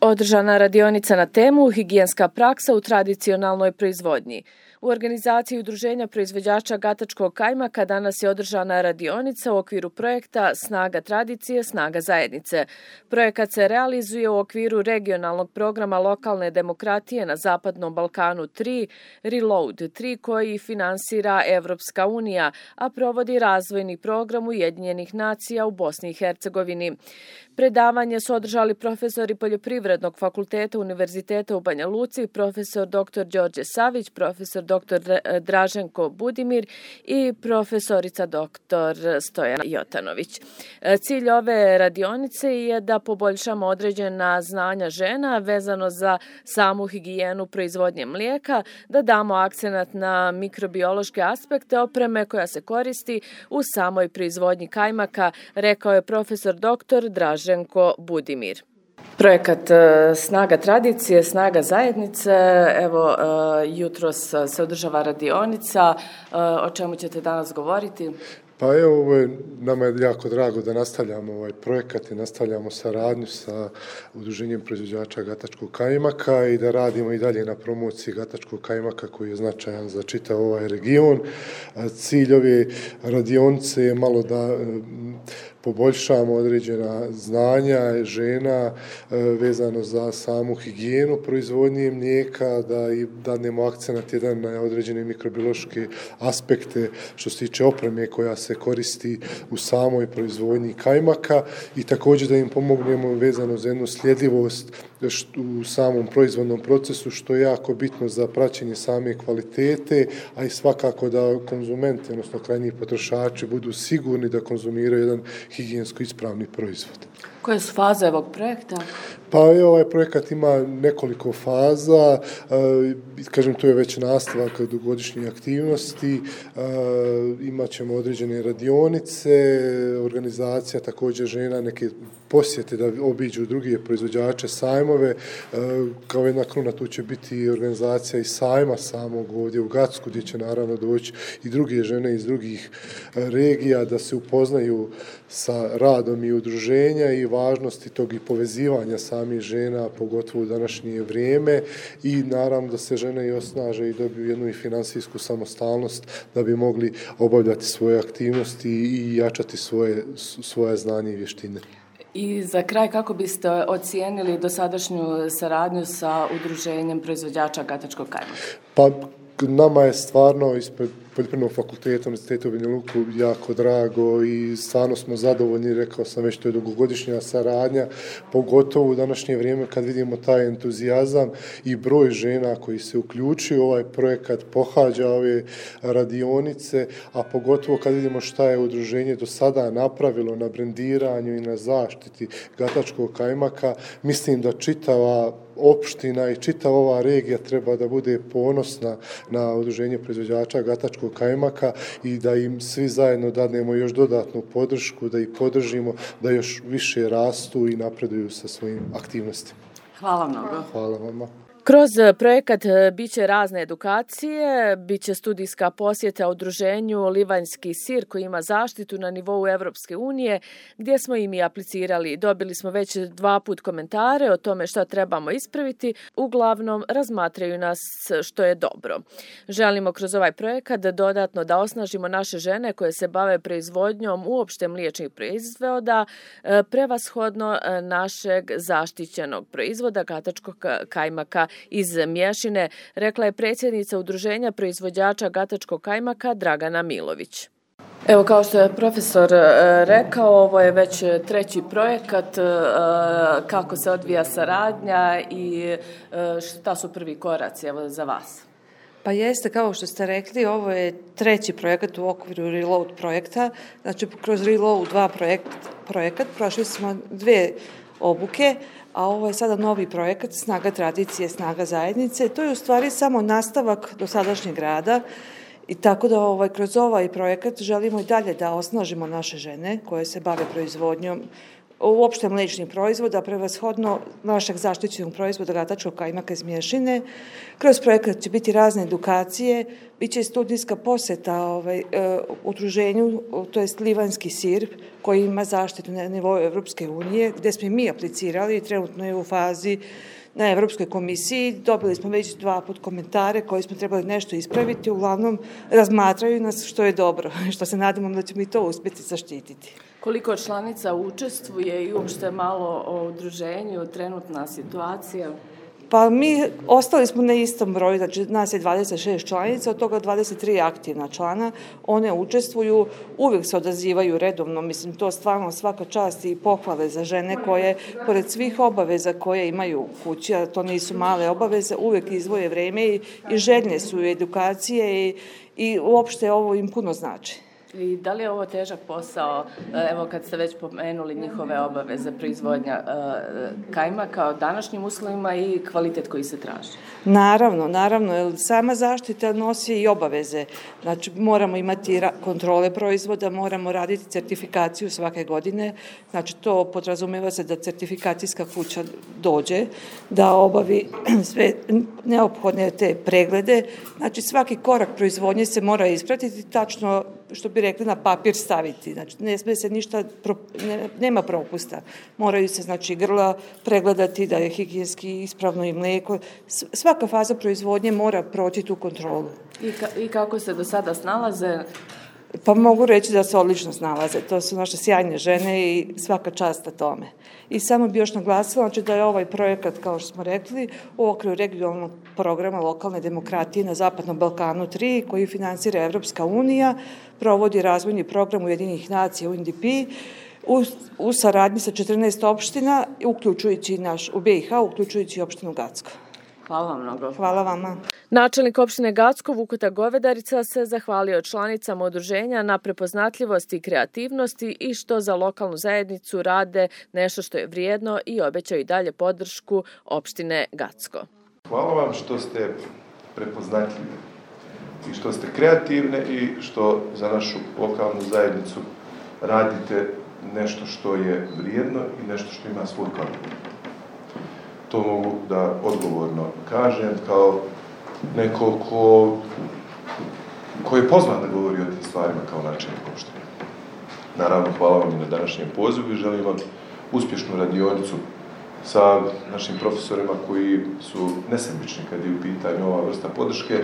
Održana radionica na temu higijenska praksa u tradicionalnoj proizvodnji. U organizaciji Udruženja proizvođača gatačkog kajmaka danas je održana radionica u okviru projekta Snaga tradicije, snaga zajednice. Projekat se realizuje u okviru regionalnog programa lokalne demokratije na Zapadnom Balkanu 3, Reload 3, koji finansira Evropska unija, a provodi razvojni program Ujedinjenih nacija u Bosni i Hercegovini. Predavanje su održali profesori Poljoprivrednog fakulteta Univerziteta u Banja Luci, profesor dr. Đorđe Savić, profesor dr. Draženko Budimir i profesorica dr. Stojana Jotanović. Cilj ove radionice je da poboljšamo određena znanja žena vezano za samu higijenu proizvodnje mlijeka, da damo akcenat na mikrobiološke aspekte opreme koja se koristi u samoj proizvodnji kajmaka, rekao je profesor dr. Draženko Budimir. Projekat Snaga tradicije, snaga zajednice, evo jutros se održava radionica, o čemu ćete danas govoriti? Pa evo, nama je jako drago da nastavljamo ovaj projekat i nastavljamo saradnju sa Udruženjem proizvođača gatačkog kajmaka i da radimo i dalje na promociji gatačkog kajmaka koji je značajan za čitav ovaj region. Cilj ove radionice je malo da poboljšamo određena znanja žena vezano za samu higijenu proizvodnje mlijeka, da i dadnemo akcenat jedan na određene mikrobiološke aspekte što se tiče opreme koja se koristi u samoj proizvodnji kajmaka i također da im pomognemo vezano za jednu sljedivost u samom proizvodnom procesu, što je jako bitno za praćenje same kvalitete, a i svakako da konzumenti, odnosno krajnji potrošači, budu sigurni da konzumiraju jedan higijensko ispravni proizvod. Koje su faze ovog projekta? Pa ovaj projekat ima nekoliko faza, kažem tu je već nastavak dugogodišnje aktivnosti, imat ćemo određene radionice, organizacija također žena, neke posjete da obiđu druge proizvođače, sajmove, kao jedna kruna tu će biti organizacija i sajma samog ovdje u Gacku, gdje će naravno doći i druge žene iz drugih regija da se upoznaju sa radom i udruženja i važnosti tog i povezivanja samih žena, pogotovo u današnje vrijeme i naravno da se žene i osnaže i dobiju jednu i finansijsku samostalnost da bi mogli obavljati svoje aktivnosti i jačati svoje znanje i vještine. I za kraj, kako biste ocijenili dosadašnju saradnju sa Udruženjem proizvođača gatačkog kajmaka? Pa nama je stvarno ispred Poljoprivrednog fakulteta Univerziteta u Banja Luku jako drago i stvarno smo zadovoljni, rekao sam već, to je dugogodišnja saradnja, pogotovo u današnje vrijeme kad vidimo taj entuzijazam i broj žena koji se uključuju u ovaj projekat, pohađa ove radionice, a pogotovo kad vidimo šta je udruženje do sada napravilo na brendiranju i na zaštiti gatačkog kajmaka, mislim da čitava opština i čitava ova regija treba da bude ponosna na Udruženje proizvođača gatačkog kajmaka i da im svi zajedno dadnemo još dodatnu podršku, da ih podržimo, da još više rastu i napreduju sa svojim aktivnostima. Hvala mnogo. Hvala vama. Kroz projekat biće razne edukacije, biće studijska posjeta udruženju Livanjski sir koji ima zaštitu na nivou Evropske unije, gdje smo i mi aplicirali. Dobili smo već 2 puta komentare o tome šta trebamo ispraviti, uglavnom razmatraju nas što je dobro. Želimo kroz ovaj projekat dodatno da osnažimo naše žene koje se bave proizvodnjom uopšte mliječnih proizvoda, prevashodno našeg zaštićenog proizvoda gatačkog kajmaka iz Mješine, rekla je predsjednica Udruženja proizvođača gatačkog kajmaka Dragana Milović. Evo, kao što je profesor rekao, ovo je već 3. projekat, kako se odvija saradnja i šta su prvi koraci za vas? Pa jeste, kao što ste rekli, ovo je 3. projekat u okviru Reload projekta. Znači, kroz Reload 2 projekat prošli smo 2 obuke, a ovo je sada novi projekat Snaga tradicije, snaga zajednice. To je u stvari samo nastavak dosadašnjeg rada i tako da kroz ovaj projekat želimo i dalje da osnažimo naše žene koje se bave proizvodnjom uopšte mlečnih proizvoda, prevashodno našeg zaštićenog proizvoda gatačkog kajmaka iz mješine. Kroz projekat će biti razne edukacije, bit će studijska poseta udruženju, to je livanjski sir, koji ima zaštitu na nivou Evropske unije, gde smo mi aplicirali i trenutno je u fazi na Evropskoj komisiji. Dobili smo već 2 puta komentare koji smo trebali nešto ispraviti. Uglavnom, razmatraju nas, što je dobro, što se nadamo da ćemo i to uspjeti zaštititi. Koliko članica učestvuje i uopšte malo o udruženju, trenutna situacija? Pa mi ostali smo na istom broju, znači nas je 26 članica, od toga 23 aktivna člana. One učestvuju, uvijek se odazivaju redovno, mislim, to stvarno svaka čast i pohvale za žene koje, pored svih obaveza koje imaju u kući, a to nisu male obaveze, uvijek izvoje vreme i željne su edukacije i uopšte ovo im puno znači. I da li je ovo težak posao, evo kad ste već pomenuli njihove obaveze proizvodnja kajmaka o današnjim uslovima i kvalitet koji se traži? Naravno, jer sama zaštita nosi i obaveze. Znači, moramo imati kontrole proizvoda, moramo raditi certifikaciju svake godine. Znači, to podrazumeva se da certifikacijska kuća dođe, da obavi sve neophodne te preglede. Znači, svaki korak proizvodnje se mora ispratiti, tačno, što bi rekli, na papir staviti. Znači, ne smije se ništa, nema propusta. Moraju se, znači, grla pregledati, da je higijenski ispravno i mlijeko. Svaka faza proizvodnje mora proći tu kontrolu. I kako se do sada snalaze? Pa mogu reći da se odlično snalaze. To su naše sjajne žene i svaka čast na tome. I samo bi još naglasila, znači, da je ovaj projekat, kao što smo rekli, u okviru regionalnog programa lokalne demokratije na Zapadnom Balkanu 3, koji finansira Evropska unija, provodi razvojni program Ujedinjenih nacija UNDP, u saradnji sa 14 opština, uključujući u BiH, uključujući opštinu Gacko. Hvala vam mnogo. Hvala vama. Načelnik opštine Gacko, Vukuta Govedarica, se zahvalio članicama udruženja na prepoznatljivosti i kreativnosti i što za lokalnu zajednicu rade nešto što je vrijedno i obećaju i dalje podršku opštine Gacko. Hvala vam što ste prepoznatljivi i što ste kreativne i što za našu lokalnu zajednicu radite nešto što je vrijedno i nešto što ima svoj kvalitet. To mogu da odgovorno kažem kao neko ko je pozvan da govori o tim stvarima kao načelnik opštine. Naravno, hvala vam i na današnjem pozivu i želim vam uspješnu radionicu sa našim profesorima koji su nesebični kad je u pitanju ova vrsta podrške,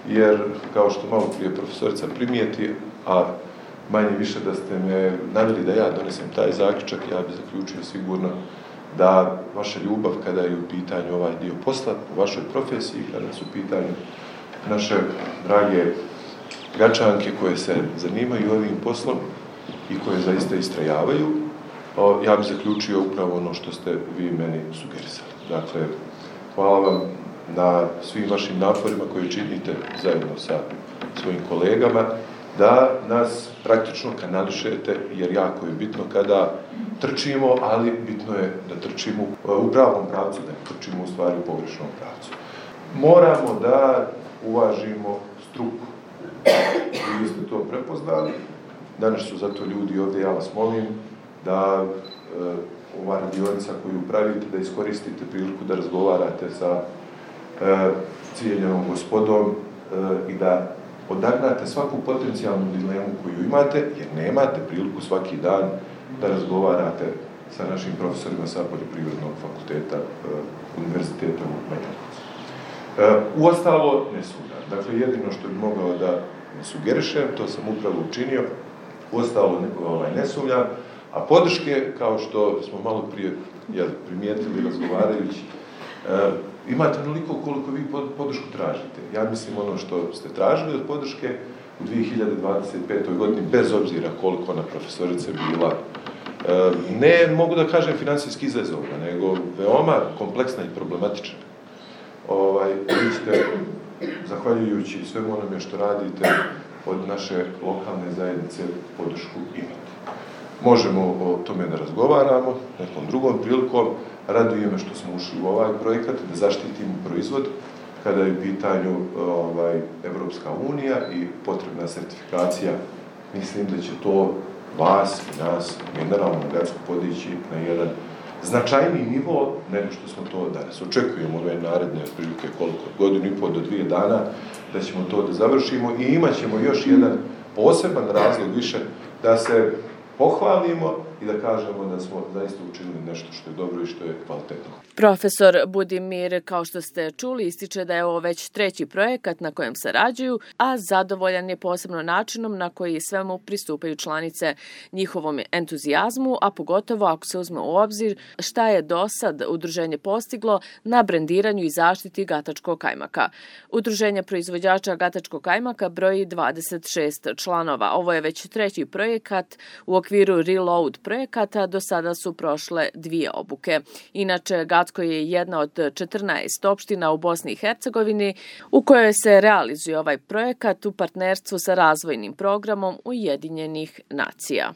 jer kao što malo prije profesorica primijeti, a manje više da ste me naveli da ja donesem taj zaključak, ja bih zaključio sigurno da vaša ljubav kada je u pitanju ovaj dio posla, u vašoj profesiji, kada su u pitanju naše drage Gačanke koje se zanimaju ovim poslom i koje zaista istrajavaju, ja bih zaključio upravo ono što ste vi meni sugerisali. Dakle, hvala vam na svim vašim naporima koje činite zajedno sa svojim kolegama, da nas praktično kanališete, jer jako je bitno kada trčimo, ali bitno je da trčimo u pravom pravcu, da ne trčimo u stvari u pogrešnom pravcu. Moramo da uvažimo struku. Vi ste to prepoznali. Danas su zato ljudi ovdje, ja vas molim da ova radionica koju pravite, da iskoristite priliku da razgovarate sa cijenjenom gospodom i da odagnate svaku potencijalnu dilemu koju imate, jer nemate priliku svaki dan da razgovarate sa našim profesorima sa Poljoprivrednog fakulteta Univerziteta u Banjaluci. Uostalo ne sumnjam. Dakle, jedino što bi mogao da sugerišem, to sam upravo učinio, uostalo ne sumnjam, a podrške, kao što smo malo prije primijetili razgovarajući, imate onoliko koliko vi podršku tražite. Ja mislim ono što ste tražili od podrške u 2025. godini, bez obzira koliko ona profesorica bila, ne mogu da kažem finansijski izazovna, nego veoma kompleksna i problematična. Vi ste, zahvaljujući svemu onome što radite, od naše lokalne zajednice podršku imate. Možemo o tome da razgovaramo nekom drugom prilikom. Raduje me što smo ušli u ovaj projekat, da zaštitimo proizvod kada je u pitanju Evropska unija i potrebna sertifikacija. Mislim da će to vas i nas, mineralnu Gatsku podići na jedan značajniji nivo nego što smo to danas. Očekujemo ove naredne otprilike koliko, godinu i pol do 2 dana da ćemo to da završimo i imat ćemo još jedan poseban razlog više da se pohvalimo i da kažemo da smo zaista učinili nešto što je dobro i što je kvalitetno. Profesor Budimir, kao što ste čuli, ističe da je ovo već 3. projekat na kojem sarađuju, a zadovoljan je posebno načinom na koji svemu pristupaju članice, njihovom entuzijazmu, a pogotovo ako se uzme u obzir šta je do sad udruženje postiglo na brendiranju i zaštiti gatačkog kajmaka. Udruženje proizvođača gatačkog kajmaka broji 26 članova. Ovo je već 3. projekat u okviru Reload projekata, do sada su prošle 2 obuke. Inače, Gacko je jedna od 14 opština u Bosni i Hercegovini u kojoj se realizuje ovaj projekat u partnerstvu sa razvojnim programom Ujedinjenih nacija.